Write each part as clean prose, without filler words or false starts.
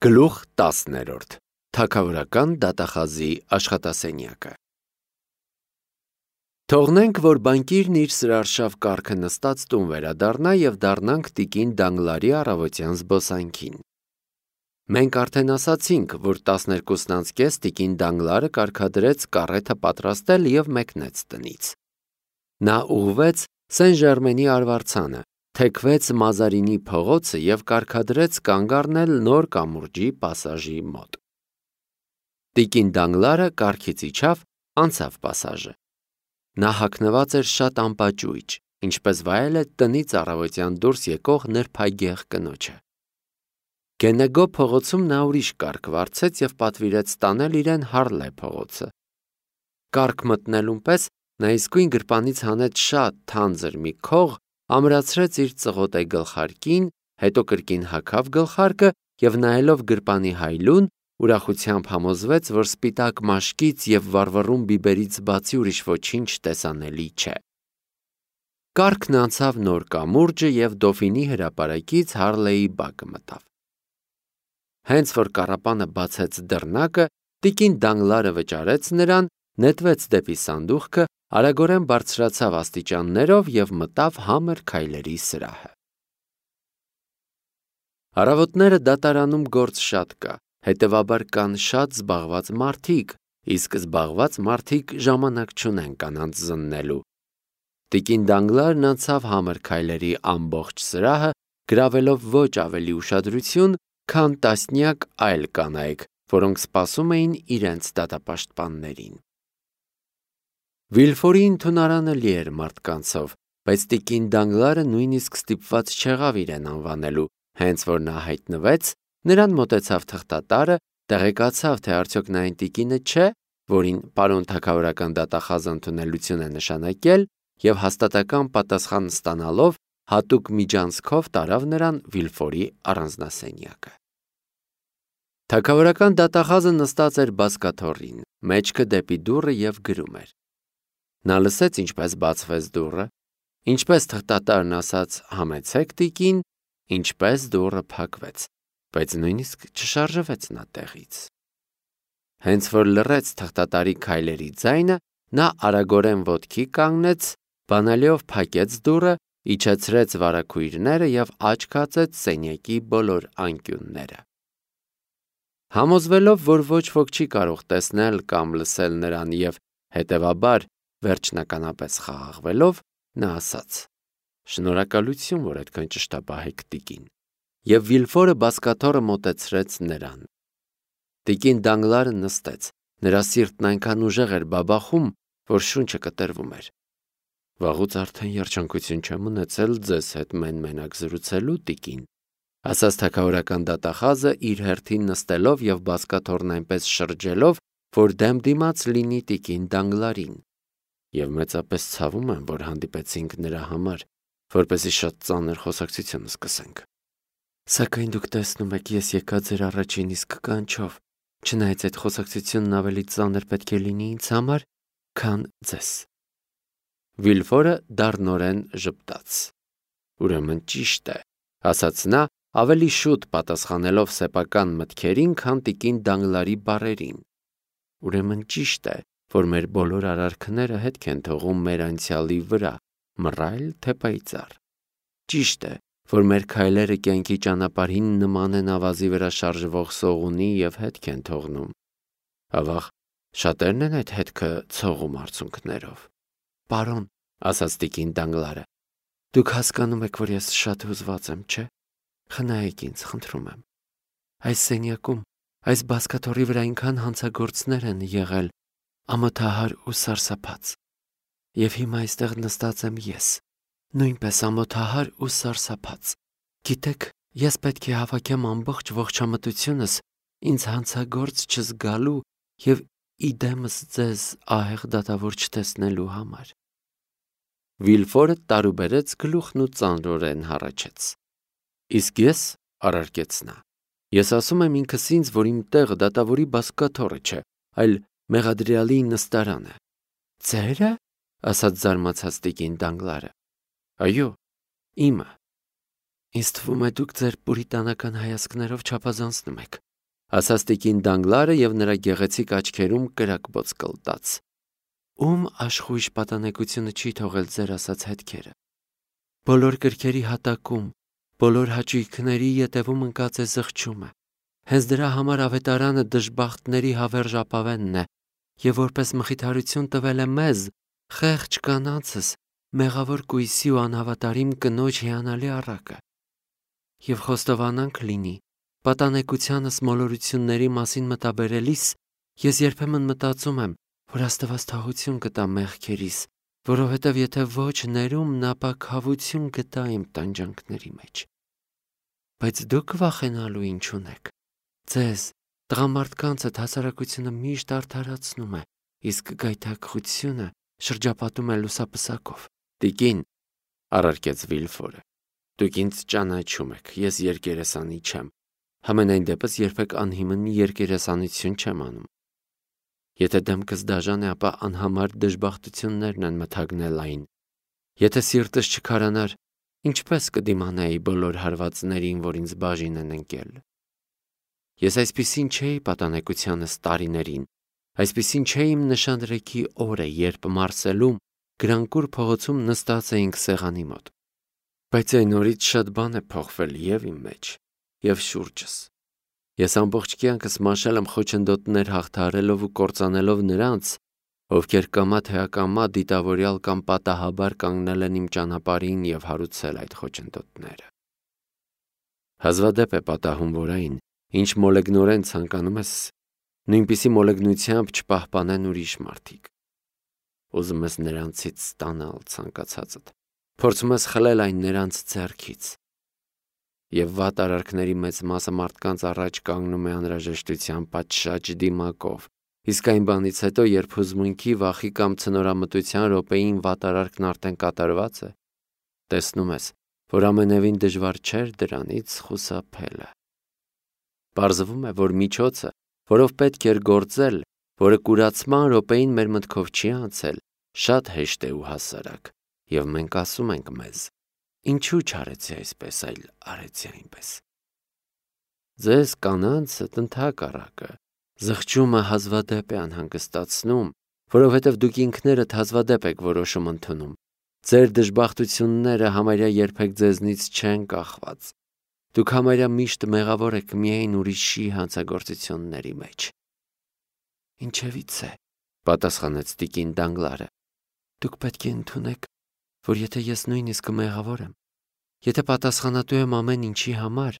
Գլուխ 10-րդ Թագավորական դատախազի աշխատասենյակը Թողնենք, որ բանկիրն իր սրարշավ կառքը նստած տուն վերադառնա և դառնանք տիկին Դանգլարի առավոտյան զբոսանքին։ Մենք արդեն ասացինք, որ 12:30 տիկին Դանգլարը կարգադրեց կառեթը պատրաստել և մեկնեց տնից։ Նա ուղղվեց Սեն-Ժերմենի արվարձանը, թեքվեց Մազարինի փողոցը և կարգադրեց կանգ առնել նոր կամուրջի պասաժի մոտ։ Տիկին Դանգլարը կառքից իջավ, անցավ պասաժը։ Նա հագնված էր շատ անպաճույճ, ինչպես վայել է տնից առավոտյան դուրս եկող նրբագեղ կնոջը։ Գենեգո փողոցում նա ուրիշ կառք վարձեց և պատվիրեց տանել իրեն Հարլե փողոցը։ Կառք մտնելուն պես նա իսկույն գրպանից հանեց շատ թանձր մի քող, ամրացրեց իր ծղոտե գլխարկին, հետո կրկին հագավ գլխարկը և նայելով գրպանի հայլուն, ուրախությամբ համոզվեց, որ սպիտակ մաշկից և վառվռուն բիբերից բացի ուրիշ ոչինչ տեսանելի չէ։ Կառքն անցավ նոր կամուրջը և Դոֆինի հրապարակից Հարլեի բակը մտավ։ Հենց որ կառապանը բացեց դռնակը, տիկին Դանգլարը վճարեց նրան, նետվեց դեպի սանդուղքը, արագորեն բարձրացավ աստիճաններով և մտավ համր քայլերի սրահը։ Առավոտները դատարանում գործ շատ կա, հետևաբար կան շատ զբաղված մարդիկ, իսկ զբաղված մարդիկ ժամանակ չունեն կանանց զննելու։ Տիկին Դանգլարն անցավ համր քայլերի ամբողջ սրահը, գրավելով ոչ ավելի ուշադրություն, քան տասնյակ այլ կանայք, որոնք սպասում էին իրենց դատապաշտպաններին։ Վիլֆորի ընդունարանը լի էր մարդկանցով, բայց տիկին Դանգլարը նույնիսկ ստիպված չեղավ իրեն անվանելու, հենց որ նա հայտնվեց, նրան մոտեցավ թղթատարը, տեղեկացավ, թե արդյոք նա այն տիկինը չէ, որին պարոն թագավորական դատախազը ընդունելություն է նշանակել, և հաստատակամ պատասխան ստանալով հատուկ միջանցքով տարավ նրան Վիլֆորի առանձնասենյակը։ Թագավորական դատախազը նստած էր բազկաթոռին, մեջքը դեպի դուռը և գրում էր։ Նա լսեց, ինչպես բացվեց դուռը, ինչպես թղթատարն ասաց «Համեցեք, տիկին», ինչպես դուռը փակվեց, բայց նույնիսկ չշարժվեց նա տեղից։ Հենց որ լռեց թղթատարի քայլերի ձայնը, նա արագորեն ոտքի կանգնեց, բանալիով փակեց դուռը, իջեցրեց վարագույրները և աչք հացեց սենյակի բոլոր անկյունները։ Համոզվելով, որ ոչ ոք չի կարող տեսնել կամ լսել նրան և, հետևաբար, վերջնականապես խաղաղվելով, նա ասաց. «Շնորհակալություն, որ այդքան ճշտապահ եք, տիկին», և Վիլֆորը բազկաթոռը մոտեցրեց նրան։ Տիկին Դանգլարը նստեց, նրա սիրտն այնքան ուժեղ էր բաբախում, որ շունչը կտրվում էր։ «Վաղուց արդեն երջանկություն չեմ ունեցել ձեզ հետ մեն-մենակ զրուցելու, տիկին», ասաց թագավորական դատախազը իր հերթին նստելով և բազկաթոռն այնպես շրջելով, որ դեմ դիմաց լինի տիկին Դանգլարին, և մեծապես ցավում եմ, որ հանդիպեցինք նրա համար, որպեսզի շատ ծանր խոսակցություն սկսենք։ Սակայն դուք տեսնում եք, ես եկա ձեր առաջին իսկ կանչով, չնայած այդ խոսակցությունն ավելի ծանր պետք է լինի ինձ համար, քան ձեզ։ Վիլֆորը դառնորեն ժպտաց։ Ուրեմն ճիշտ է, ասաց նա, ավելի շուտ պատասխանելով սեփական մտքերին, քան տիկին Դանգլարի բառերին։ Ուրեմն ճիշտ է, որ մեր բոլոր արարքները հետք են թողում մեր անցյալի վրա, մռայլ թե պայծառ։ Ճիշտ է, որ մեր քայլերը կյանքի ճանապարհին նման են ավազի վրա շարժվող սողունի և հետք են թողնում։ Ավաղ, շատերն են այդ հետքը ցողում արցունքներով։ Պարոն, ասաց տիկին Դանգլարը, դուք հասկանում եք, որ ես շատ հուզված եմ, չէ՞։ Խնայեք ինձ, խնդրում եմ։ Այս սենյակում, այս բազկաթոռի վրա այնքան հանցագործներ են եղել, ամոթահար ու սարսափած։ Եվ հիմա այստեղ նստած եմ ես, նույնպես ամոթահար ու սարսափած։ Գիտեք, ես պետք է հավաքեմ ամբողջ ողջամտությունս ինձ հանցագործ չզգալու և իդեմս ձեզ ահեղ դատավոր չտեսնելու համար։ Վիլֆորը տարուբերեց գլուխն ու ծանրորեն հառաչեց։ Իսկ ես, առարկեց նա, ես ասում եմ ինքս ինձ, որ իմ տեղը դատավորի բազկաթոռը չէ, այլ մեղադրյալի նստարանը։ Ձե՞րը, ասաց զարմացած տիկին Դանգլարը։ Այո, իմը։ Ինձ թվում է, դուք ձեր պուրիտանական հայացքներով չափազանցնում եք։ ասաց տիկին Դանգլարը եւ նրա գեղեցիկ աչքերում կրակբոց կլտաց։ Ում աշխույժ պատանեկությունը չի թողել ձեր ասած հետքերը։ Բոլոր կրքերի հատակում, բոլոր հաճույքների ետևում ընկած է զղջումը։ Հենց դրա համար ավետարանը դժբախտների հավերժ ապավենն է եւ որպես մխիթարություն տվել է մեզ, խեղճ կանանցս, մեղավոր կույսի ու անհավատարիմ կնոջ հիանալի առակը։ Եվ խոստովանանք լինի, պատանեկությանս մոլորությունների մասին մտաբերելիս ես երբեմն մտածում եմ, որ Աստված թաղություն կտա մեղքերիս, որովհետև եթե ոչ ներումն, ապա քավություն կտա իմ տանջանքների մեջ։ Բայց դուք վախենալու ինչ ունեք։ Ձեզ, տղամարդկանցդ հասարակությունը միշտ արդարացնում է, իսկ գայթակղությունը շրջապատում է լուսապսակով։ Տիկին, առարկեց Վիլֆորը, դուք ինձ ճանաչում եք, ես երկերեսանի չեմ, համենայն դեպս երբեք անհիմն երկերեսանություն չեմ անում։ Եթե դեմքս դաժան է, ապա անհամար դժբախտություններն են մթագնել այն։ Եթե սիրտս չքարանար, ինչպես կդիմանայի բոլոր հարվածներին, որ ինձ բաժին են ընկել։ Ես այսպիսին չէի պատանեկությանս տարիներին, այսպիսին չէի իմ նշանրեքի օրը, երբ Մարսելում Գրանկուր փողոցում նստած էինք սեղանի մոտ։ Բայց այն օրից շատ բան է փոխվել եւ իմ մեջ, եւ շուրջս։ Ես ամբողջ կյանքս մաշել եմ խոչընդոտներ հաղթահարելով ու կործանելով նրանց, ովքեր կամա թե ակամա դիտավորյալ կամ պատահաբար կանգնել են իմ ճանապարհին եւ հարուցել այդ խոչընդոտները։ Հազվադեպ է պատահում, որ այն, ինչ մոլեգնորեն ցանկանում ես, նույնպիսի մոլեգնությամբ չպահպանեն ուրիշ մարդիկ։ Ուզում ես նրանցից ստանալ ցանկացածդ, փորձում ես խլել այն նրանց ձեռքից։ Եվ վատ արարքների մեծ մասը մարդկանց առաջ կանգնում է անհրաժեշտության պատշաճ դիմակով, իսկ այն բանից հետո, երբ հուզմունքի, վախի կամ ցնորամտության րոպեին վատ արարքն արդեն կատարված է, տեսնում ես, որ ամենևին դժվար չէր դրանից խուսափելը։ Պարզվում է, որ միջոցը, որով պետք էր գործել, որը կուրացման րոպեին մեր մտքով չի անցել, շատ հեշտ է ու հասարակ, եւ մենք ասում ենք մեզ. ինչու չարեցի այսպես, այլ արեցի այնպես։ Ձեզ կանանցդ ընդհակառակը, զղջումը հազվադեպ է անհանգստացնում, որովհետև դուք ինքներդ հազվադեպ եք որոշում ընդունում։ Ձեր դժբախտությունները համարյա երբեք ձեզնից չեն կախված։ Դուք համարյա միշտ մեղավոր եք միայն ուրիշի հանցագործությունների մեջ։ Ինչևից է, պատասխանեց տիկին Դանգլարը։ Դուք պետք է ընդունեք, որ եթե ես նույնիսկ մեղավոր եմ, եթե պատասխանատու եմ ամեն ինչի համար,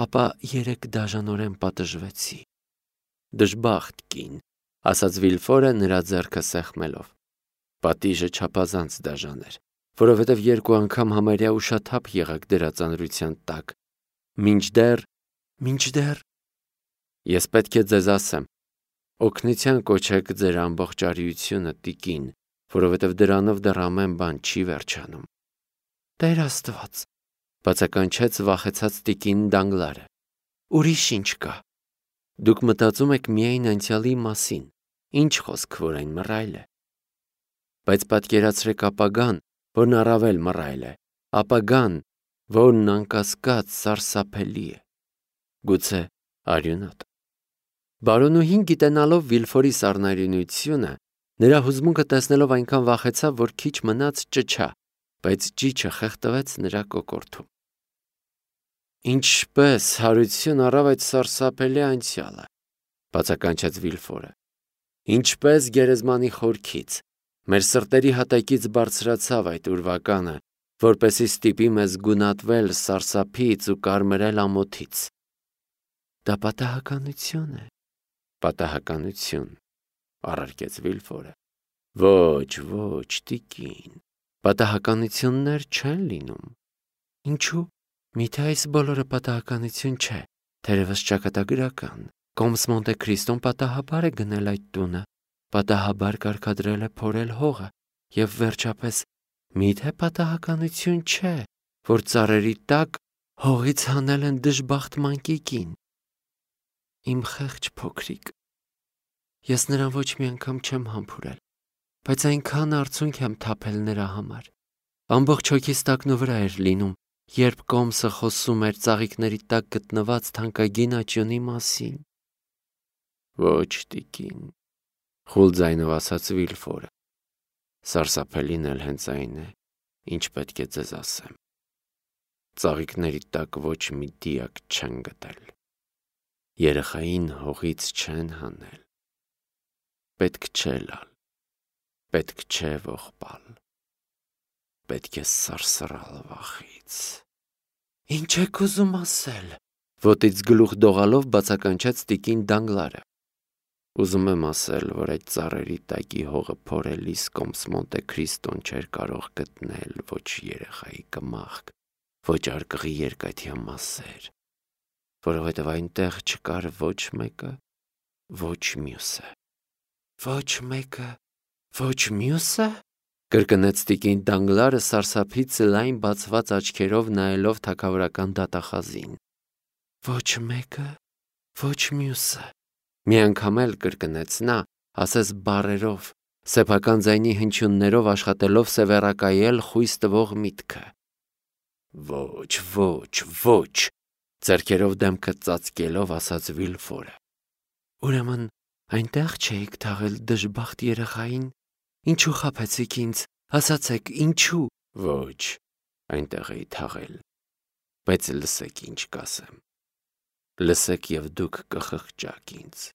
ապա երեք դաժանորեն պատժվեցի։ Դժբախտ կին, ասաց Վիլֆորը նրա ձեռքը սեղմելով։ Պատիժը չափազանց դաժան էր, որովհետև երկու անգամ համարյա ուշաթափ եղաք դրա ծանրության տակ։ Մինչդեռ ես պետք է ձեզ ասեմ, օգնության կոչեք ձեր ամբողջ արիությունը, տիկին, որովհետև դրանով դեռ ամեն բան չի վերջանում։ Տեր Աստված, բացականչեց վախեցած տիկին Դանգլարը։ Ուրիշ ինչ կա։ Դուք մտածում եք միայն անցյալի մասին, ինչ խոսք, որ այն մռայլ է։ Բայց պատկերացրեք ապագան, որն առավել մռայլ է, ապագան, որն անկասկած սարսափելի է։ Գուցե արյունոտ։ Բարոնուհին գիտենալով Վիլֆորի սառնարյունությունը, նրա հուզմունքը տեսնելով այնքան վախեցավ, որ քիչ մնաց ճչա, բայց ճիչը խեղդվեց նրա կոկորդում։ Ինչպես հարություն առավ այդ սարսափելի անցյալը, բացականչեց Վիլֆորը։ Ինչպես գերեզմանի խորքից, մեր սրտերի հատակից բարձրացավ այդ ուրվականը, որպեսզի ստիպի մեզ գունատվել սարսափից ու կարմրել ամոթից։ Դա պատահականություն է։ Պատահականություն, առարկեց Վիլֆորը։ Ոչ, տիկին, պատահականություններ չեն լինում։ Ինչու՞։ Միթե այս բոլորը պատահականություն չէ, թերևս ճակատագրական։ Կոմս Մոնտե Քրիստոն պատահաբար է գնել այդ տունը, պատահաբար կարգադրել է փորել հողը, եւ վերջապես միթե պատահականություն չէ, որ ծառերի տակ հողից հանել են դժբախտ մանկիկին։ Իմ խեղճ փոքրիկ։ Ես նրան ոչ մի անգամ չեմ համբուրել, բայց այնքան արցունք եմ թափել նրա համար։ Ամբողջ հոգիս տակնու վրա էր լինում, երբ Կոմսը խոսում էր ծաղիկների տակ գտնված թանկագին աճյունի մասին։ Ոչ, տիկին, խուլ ձայնով ասաց Վիլֆորը։ Սարսափելին էլ հենց այն է, ինչ պետք է ձեզ ասեմ։ Ծաղիկների տակ ոչ մի դիակ չեն գտել։ Երեխային հողից չեն հանել։ Պետք չէ լալ, պետք չէ ողբալ, պետք է սարսռալ վախից։ Ինչ եք ուզում ասել, ոտից գլուխ դողալով բացականչեց տիկին Դանգլարը։ Ուզում եմ ասել, որ այդ ծառերի տակի հողը փորելիս կոմս Մոնտե Քրիստոն չէր կարող գտնել ոչ երեխայի կմախք, ոչ արկղի երկաթյա մասեր, որովհետև այնտեղ չկար ոչ մեկը, ոչ մյուսը։ Ոչ մեկը, ոչ մյուսը, կրկնեց տիկին Դանգլարը սարսափից լայն բացված աչքերով նայելով թագավորական դատախազին։ Ոչ մեկը, ոչ մյուսը։ Մի անգամ էլ կրկնեց նա, ասես բառերով, սեփական ձայնի հնչյուններով աշխատելով սևեռակայել խույս տվող միտքը։ Ոչ, ոչ, ոչ, ձեռքերով դեմքը ծածկելով ասաց Վիլֆորը։ Ուրեմն այնտեղ չէիք թաղել դժբախտ երեխային։ Ինչու խաբեցիք ինձ, ասացեք, ինչու։ Ոչ, այնտեղ էի թաղել, բայց լսեք ինչ կասեմ։ Լսեք և դուք կխղճաք ինձ։